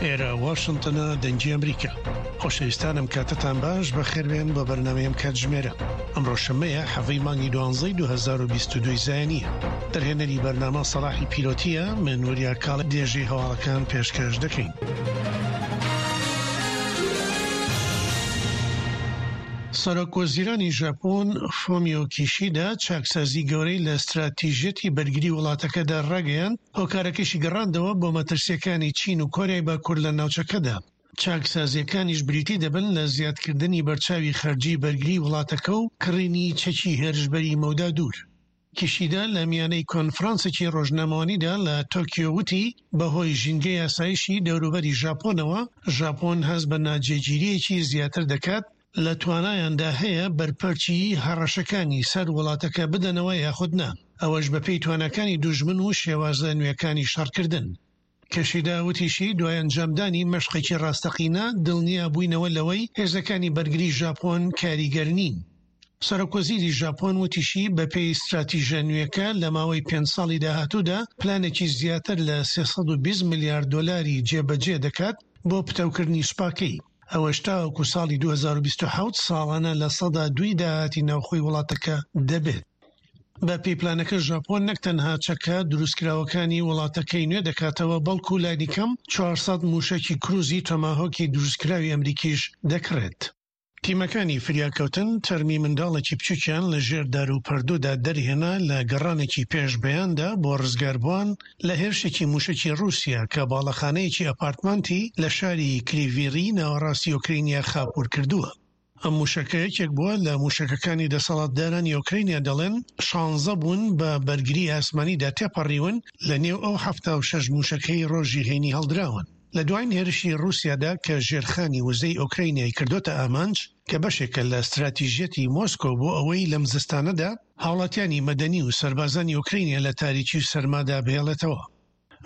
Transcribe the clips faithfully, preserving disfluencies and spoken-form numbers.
ئێرە واشنتنە، دەنگی ئەمریکا. خۆشەویستانم کاتتان باش، بەخێربێن بۆ بەرنامەی ئەم کاتژمێرە. ئەمڕۆ شەممەیە حەڤەی مانگی دوانزەی دوو هەزار و بیست و دوو زایینیە. دەرهێنەری بەرنامە سەڵاحی پیرۆتیە، من وریا کاڵ درێژەی هەواڵەکان پێشکەش دەکەین. سەرۆک وەزیرانی ژاپۆن فۆمیۆ کیشیدا چاکسازی گەورەی لە ستراتیژیەتی بەرگری وڵاتەکەدا ڕاگەیاند، هۆکارەکەشی گەڕاندەوە بۆ مەترسیەکانی چین و کۆریای باکوور لە ناوچەکەدا. چاکسازیەکانیش بریتی دەبن لە زیادکردنی بەرچاوی خەرجی بەرگری وڵاتەکە و کڕینی چەکی هێرشبەری مەودا دوور. کیشیدا لە میانەی کۆنفرانسێکی ڕۆژنامەوانیدا لە تۆکیۆ وتی بەهۆی ژینگەی ئاسایشی دەوروبەری ژاپۆنەوە، ژاپۆن هەست بە ناجێگیریەکی زیاتر دەکات لە توانایاندا هەیە بەرپەرچی هەڕەشەکانی سەر وڵاتەکە بدەنەوە یاخود نا، ئەوەش بەپێی تواناکانی دوژمن و شێوازە نوێکانی شەڕکردن. کیشیدا وتیشی دوای ئەنجامدانی مەشقێکی ڕاستەقینە دڵنیا بووینەوە لەوەی هێزەکانی بەرگری ژاپۆن کاریگەر نین. سەرۆک وەزیری ژاپۆن وتیشی بەپێی ستراتیژە نوێکە لە ماوەی پێنج ساڵی داهاتوودا پلانێکی زیاتر لە سێ سەد و بیست ملیار دۆلاری جێبەجێ دەکات بۆ پتەوکردنی سوپاکەی. ئەوەش تاوەکو ساڵی دوو هەزار و بیست و حەوت ساڵانە لە سەدا دووی داهاتی ناوخۆی وڵاتەکە دەبێت. بە پێی پلانەکە ژاپۆن نەک تەنها چەکە دروستکراوەکانی وڵاتەکەی نوێ دەکاتەوە، بەڵکو لانی کەم چوار سەد موشەکی کروزی تۆماهۆکی دروستکراوی ئەمریکیش دەکڕێت. تیمەکانی فریاکەوتن تەرمی منداڵێکی بچووکیان لە ژێر دار و پەردوودا دەرهێنا لە گەڕانێکی پێش بەیاندا بۆ ڕزگاربووان لە هێرشێکی موشەکی ڕووسیا کە باڵەخانەیەکی ئەپارتمانتی لە شاری کریڤیری ناوەڕاستی ئۆکرینیا خاپوور کردووە. ئەم موشەکە یەکێک بووە لە موشەکەکانی دەسەڵاتدارانی ئۆکرینیا دەڵێن شانزە بوون بە بەرگری ئاسمانیدا تێپەڕیون لە نێو ئەو حەفتا و شەش موشەکەی ڕۆژی هەینی هەڵدراون. لە دوایین هێرشی ڕووسیادا کە ژێرخانی وزەی ئۆکرینیای کردۆتە ئامانج کە بەشێکە لە ستراتیژیەتی مۆسکۆ بۆ ئەوەی لەم زستانەدا هاوڵاتیانی مەدەنی و سەربازانی ئۆکرینیا لە تاریکی و سەرمادا بهێڵێتەوە.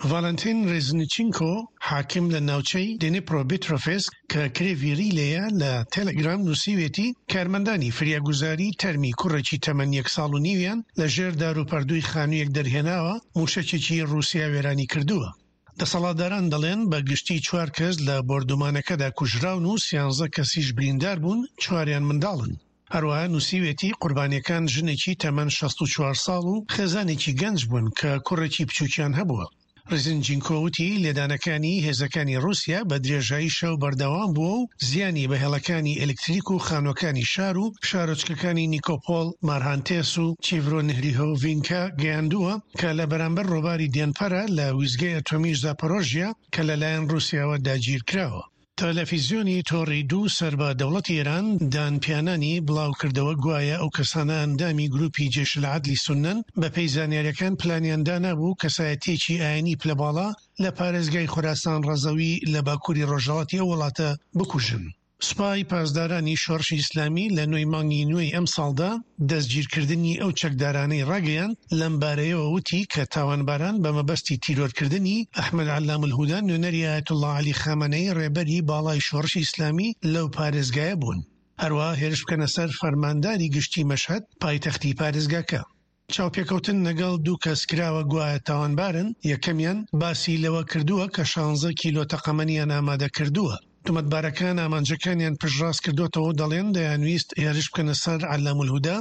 ڤالنتین ڕێزنیچینکۆ حاکم لە ناوچەی دنیپرۆپیترۆفسک کە کرێڤیری لێیە لە تەلەگرام نووسیوێتی کارمەندانی فریاگوزاری تەرمی کوڕێکی تەمەن یەک ساڵ و نیویان لە ژێر دار و پەردووی خانوویەک دەرهێناوە، موشەکێکی ڕووسیا وێرانی کردووە. دەسەڵاتداران دەڵێن بە گشتی چوار کەس لە بۆردومانەکەدا کوژراون و سیانزە کەسیش بریندار بوون، چواریان منداڵن. هەروەها نووسیوێتی قوربانیەکان ژنێکی تەمەن شەست و چوار ساڵ و خێزانێکی گەنج بوون کە کوڕێکی بچووکیان هەبووە. ڕیزنجینکۆ وتی لێدانەکانی هێزەکانی ڕووسیا بە درێژایی شەو بەردەوام بووە و زیانی بە هێڵەکانی ئەلکتریک و خانووەکانی شار و شارۆچکەکانی نیکۆپۆل، مارهانتێس و چیڤرۆنهریهۆڤینکا گەیاندووە کە لە بەرامبەر ڕۆباری دێنپەرە لە ویزگەی ئەتۆمی زاپۆرۆژیا کە لەلایەن ڕووسیاوە داگیرکراوە. تەلەفیزیۆنی تۆڕی دوو سەر بە دەوڵەتی ئێران دانپیانانی بڵاوکردەوە گوایە ئەو کەسانە ئەندامی گروپی جەیش العدلی سوننەن بەپێی زانیاریەکان پلانیان دانابوو کەسایەتیەکی ئاینی پلەباڵا لە پارێزگای خوراسان ڕەزەوی لە باکووری ڕۆژهەڵاتی ئەو وڵاتە بکوژن. سوپای پاسدارانی شۆڕشی ئیسلامی لە نۆی مانگی نوێی ئەم ساڵدا دەستگیرکردنی ئەو چەکدارانەی ڕاگەیاند، لەم بارەیەوە وتی کە تاوانباران بە مەبەستی تیرۆرکردنی ئەحمەد عەلام الهودا نوێنەری ئایەتوڵڵا عەلی خامەنەیی ڕێبەری باڵای شۆڕشی ئیسلامی لەو پارێزگایە بوون، هەروەها هێرش بکەنە سەر فەرمانداری گشتی مەشهەد پایتەختی پارێزگاکە. چاوپێکەوتن لەگەڵ دوو کەس کراوە گوایە تاوانبارن، یەکەمیان باسی لەوە کردووە کە شانزە کیلۆ تەقەمەنیان ئامادە کردووە. تۆمەتبارەکان ئامانجەکانیان پشتڕاست کردوتەوە و دەڵێن دەیانویست هێرش بکەنە سەر عەلام الهودا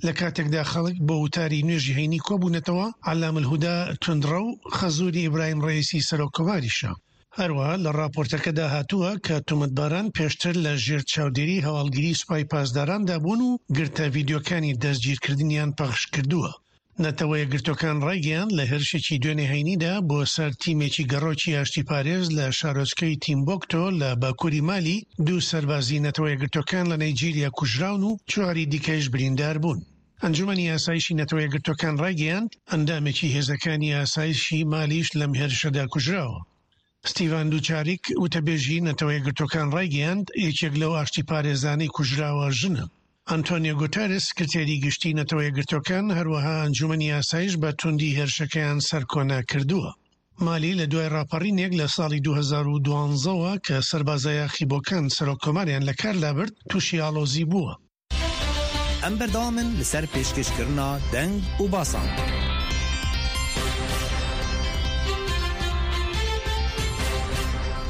لە کاتێکدا خەڵک بۆ وتاری نوێژی هەینی کۆبوونەتەوە. عەلام الهودا توندڕەو خەزوری ئیبراهیم ڕەئیسی سەرۆک کۆماریشە. هەروەها لە ڕاپۆرتەکەدا هاتووە کە تۆمەتباران پێشتر لە ژێر چاودێری هەواڵگری سوپای پاسداراندا بوون و گرتە ڤیدیۆکانی دەستگیرکردنیان پەخش کردووە. نەتەوە یەکگرتووەکان ڕایگەیاند لە هێرشێکی دوێنێ هەینیدا بۆ سەر تیمێکی گەڕۆکی ئاشتی پارێز لە شارۆچکەی تیمبۆکتۆ لە باکووری مالی دوو سەربازی نەتەوە یەکگرتووەکان لە نەیجیریا کوژراون و چواری دیکەش بریندار بوون. ئەنجومەنی ئاسایشی نەتەوە یەکگرتووەکان ڕایگەیاند ئەندامێکی هێزەکانی ئاسایشی مالیش لەم هێرشەدا کوژراوە. ستیڤان دوچاریک وتەبێژی نەتەوە یەکگرتووەکان ڕایگەیاند یەکێک لەو ئاشتی پارێزانەی کوژراوە ژنە. ئەنتۆنیۆ گوتێرس سکرتێری گشتی نەتەوە یەکگرتووەکان هەروەها ئەنجومەنی ئاسایش بە توندی هێرشەکەیان سەرکۆنە کردووە. مالی لە دوای ڕاپەڕینێک لە ساڵی دوو هەزار و دوانزەوە کە سەربازە یاخیبۆکان سەرۆک کۆماریان لە کار لابرد تووشی ئاڵۆزی بووە. ئەم بەردەوامن لەسەر پێشکەشکردنا دەنگ و باسان.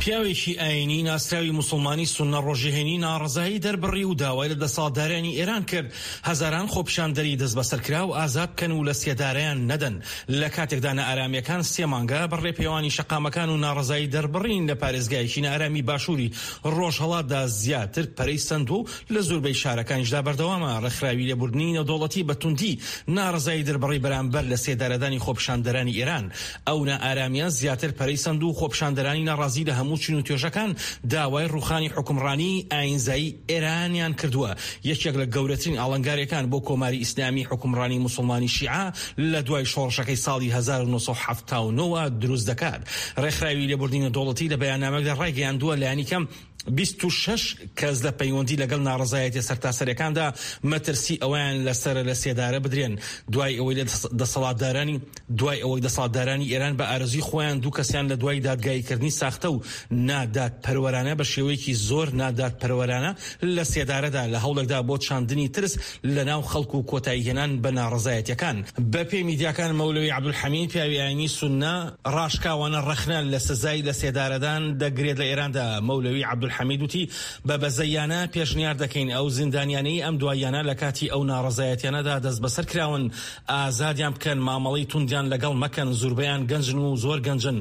پیاوێکی ئاینی ناسراوی موسڵمانی سوننە ڕۆژی هەینی ناڕەزایی دەربڕی و داوای لە دەسەڵاتدارانی ئێران کرد هەزاران خۆپیشاندەری دەستبەسەرکراو ئازاد بکەن و لە سێدارەیان نەدەن. لە کاتێکدا نائارامیەکان سێ مانگە بە ڕێپێوانی شەقامەکان و ناڕەزایی دەربڕین لە پارێزگایەکی نائارامی باشووری ڕۆژهەڵاتدا زیاتر پەرەی سەندووە و لە زۆربەی شارەکانیشدا بەردەوامە. ڕێکخراوی لێبوردنی نێودەوڵەتی بە توندی ناڕەزایی دەربڕی بەرامبەر لە سێدارەدانی خۆپیشاندەرانی ئێران. ئەو نائارامیە زیاتر پەرەی سەند و خۆپیشاندەرانی ناڕازی لە هەموو چین و توێژەکان داوای ڕوخانی حوکمڕانی ئاینزایی ئێرانیان کردووە. یەکێک لە گەورەترین ئاڵنگاریەکان بۆ کۆماری ئیسلامی حوکمڕانی موسڵمانی شیعە لە دوای شۆڕشەکەی ساڵی هەزار و نۆ سەد و حەفتا و نۆ دروست دەکات. ڕێکخراوی لێبوردنی نێودەوڵەتی لە بەیاننامەیەکدا ڕایگەیاندووە لایەنی کەم بیست و شەش کەس لە پەیوەندی لەگەڵ ناڕەزایەتیە سەرتاسەریەکاندا مەترسی ئەوەیان لەسەر لە سێدارە بدرێن دوای ئەوەی لە دەسەڵاتدارانی دوای ئەوەی دەسەڵاتدارانی ئێران بە ئارەزووی خۆیان دوو کەسیان لە دوای دادگاییکردنی ساختە و نادادپەروەرانە بە شێوەیەکی زۆر نادادپەروەرانە لە سێدارەدا لە هەوڵێکدا بۆ چاندنی ترس لە ناو خەڵک و کۆتاییهێنان بە ناڕەزایەتیەکان. بەپێی میدیاکان مەولەوی عەبدولحەمید پیاوی ئاینی سوننە ڕاشکاوانە ڕەخنە لە سزای لە سێدارەدان دەگرێت لە ئێراندا. مەولەوی عەبدولحەمید وتی بە بەزەیانە پێشنیار دەکەین ئەو زیندانیانەی ئەم دواییانە لە کاتی ئەو ناڕەزایەتیانەدا دەستبەسەر کراون ئازادیان بکەن، مامەڵەی توندیان لەگەڵ مەکەن، زوربەیان گەنجن و زۆر گەنجن،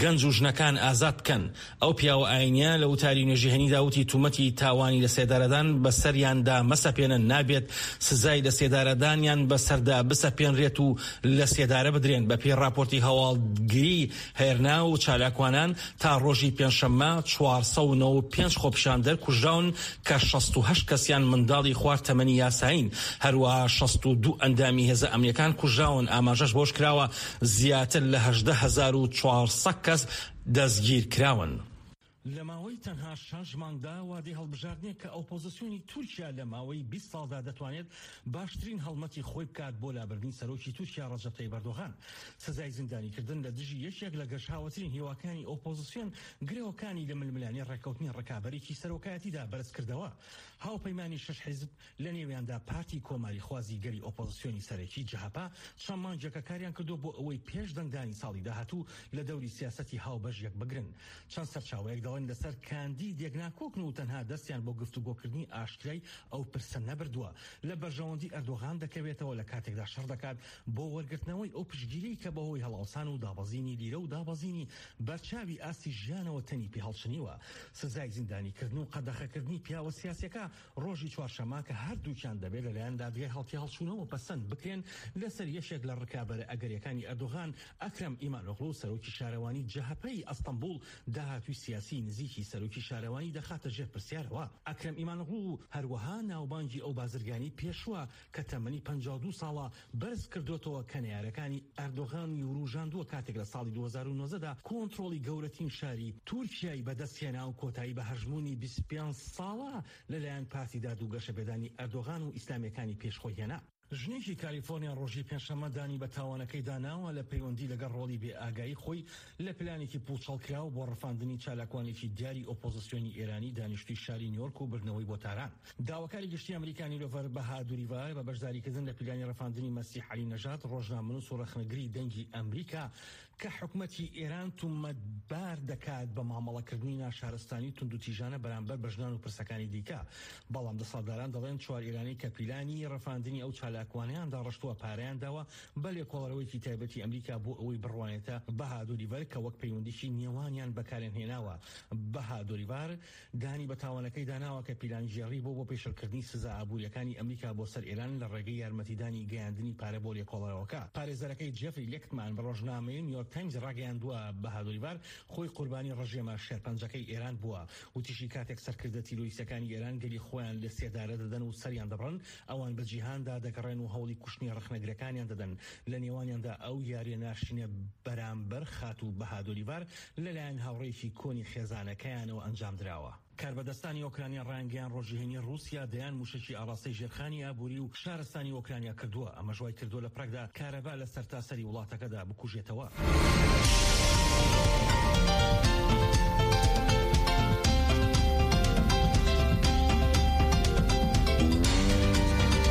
گەنج و ژنەکان ئازاد بکەن. ئەو پیاوە ئاینیە لە وتاری نوێژی هەینیدا وتی تومەتی تاوانی لە سێدارەدان بەسەریاندا مەسەپێنن، نابێت سزای لە سێدارەدانیان بەسەردا بسەپێنرێت و لە سێدارە بدرێن. بەپێی راپۆرتی هەواڵگری هێرنا و چالاکوانان تا ڕۆژی پێنجشەممە چوار سەد و نەوەد و پێنج خۆپیشاندەر کوژراون کە شەست و هەشت کەسیان منداڵی خوار تەمەنی یاسایین، هەروەها شەست و دوو ئەندامی هێزە ئەمنیەکان کوژراون. ئاماژەش بەوەش کراوە زیاتر لە هەژدە هەزار و چوار سەد کەس دەستگیر کراون. لە ماوەی تەنها شەش مانگدا وادەی هەڵبژاردنێک کە ئۆپۆزیسیۆنی تورکیا لە ماوەی بیست ساڵدا دەتوانێت باشترین هەڵمەتی خۆی بکات بۆ لابردنی سەرۆکی تورکیا ڕەجەب تەیب ئەردۆغان. سزای زیندانیکردن لە دژی یەکێک لە گەشاوەترین هیواکانی ئۆپۆزیسیۆن گرەوەکانی لە ململانێ ڕێککەوتنی ڕکابەرێکی سەرۆکایەتیدا بەرزکردەوە. هاوپەیمانی شەش حیزب لە نێویاندا پارتی کۆماریخوازی گەلی ئۆپۆزیسیۆنی سەرەکی جەهەپە چەند مانگێکە کاریان کردووە بۆ ئەوەی پێش دەنگدانی ساڵی داهاتوو لە دەوری سیاسەتی هاوبەش یەک بگرن. چەند سەرچاوەیەک دەڵێن لەسەر کاندیدێک ناکۆکن و تەنها دەستیان بۆ گفتوگۆکردنی ئاشکرای ئەو پرسە نەبردووە. لە بەرژەوەندی ئەردۆغان دەکەوێتەوە لە کاتێکدا شەڕ دەکات بۆ وەرگرتنەوەی ئەو پشتگیری کە بەهۆی هەڵاوسان و دابەزینی لیرە و دابەزینی بەرچاوی ئاستی ژیانەوە تەنی پێهەڵچنیوە. سزای زیندانیکردن و قەدەخەکردنی پیاوە سیاسیەکە ڕۆژی چوارشەممە کە هەردووکیان دەبێت لەلایەن دادگای هەڵتیهەڵچوونەوە پەسەند بکرێن لەسەر یەکێک لە ڕکابەرە ئەگەریەکانی ئەردۆغان ئەکرەم ئیمانۆغڵو سەرۆکی شارەوانی جەهەپەی ئەستەنبوڵ داهاتووی سیاسی نزیکی سەرۆکی شارەوانی دەخاتە ژێر پرسیارەوە. ئەکرەم ئیمانۆغڵو هەروەها ناوبانگی ئەو بازرگانی پێشووە کە تەمەنی پەنجا و دوو ساڵە بەرز کردوێتەوە کە نەیارەکانی ئەردۆغانی وروژاندووە کاتێک لە ساڵی دوو هەزار و نۆزدە کۆنترۆڵی گەورەترین شاری تورکیای بەدەستهێنا و کۆتایی بە هەژموونی بیست و پێنج ساڵە لەلایەن پارتی داد و گەشەپێدانی ئەردۆغان و ئیسلامیەکانی پێشخۆی هێنا. ژنێکی کالیفۆرنیا ڕۆژی پێنجشەممە دانی بە تاوانەکەی داناوە لە پەیوەندی لەگەڵ ڕۆڵی بێئاگایی خۆی لە پلانێکی پوچەڵکراو بۆ ڕفاندنی چالاکوانێکی دیاری ئۆپۆزیسیۆنی ئێرانی دانیشتووی شاری نیویۆرک و بردنەوەی بۆ تاران. داواکاری گشتی ئەمریکا نیلۆفەر بەهادوریڤار بە بەشداریکردن لە پلانی ڕفاندنی مەسیح عەلی نەژاد ڕۆژنامەنووس و ڕەخنەگری دەنگی ئەمریکا کە حکومەتی ئێران تومەتبار دەکات بە مامەڵەکردنی ناشارستانی توندوتیژانە بەرامبەر بە ژنان و پرسەکانی دیکە. بەڵام دەسەڵاتداران دەڵێن چوار ئێرانی کە پیلانی ڕفاندنی ئەو چالاکوانەیان داڕشتووە پارەیان داوە بە لێکۆڵەرەوەیەکی تایبەتی ئەمریکا بۆ ئەوەی بڕوانێتە بەهادوریڤار کە وەک پەیوەندیی نێوانیان بەکارێن هێناوە. بەهادوریڤار دانی بە تاوانەکەی داناوە کە پیلانگێڕی بۆ بۆ پێشلکردنی سزا ئابووریەکانی ئەمریکا بۆ سەر ئێران لە ڕێگەی یارمەتیدانی گەیاندنی پارە بۆ لێکۆڵەرەوەکە. پارێزەرەکەی جێفری لێکتمان بە ڕۆژنامەی نیویۆرک تایمز ڕاگەیاندووە بەهادوریڤار خۆی قوربانی ڕژێمە شێرپەنجەکەی ئێران بووە. وتیشی کاتێک سەرکردە تیرۆریستەکانی ئێران گەلی خۆیان لە سێدارە دەدەن و سەریان دەبڕن، ئەوان بە جیهاندا دەگەڕێن و هەوڵی کوشتنی ڕەخنەگرەکانیان دەدەن. لە نێوانیاندا ئەو یاریە ناشرینە بەرامبەر خاتوو بەهادوریڤار لەلایەن هاوڕێیەکی کۆنی خێزانەکەیانەوە ئەنجام دراوە. کاربەدەستانی ئۆکرانیا ڕایانگەیاند ڕۆژی هەینی ڕووسیا دەیان موشەکی ئاڕاستەی ژێرخانی ئابووری و شارستانی ئۆکرانیا کردووە. ئەمەش وای کردووە لە پراگدا کارەبا لە سەرتاسەری وڵاتەکەدا بکوژێتەوە.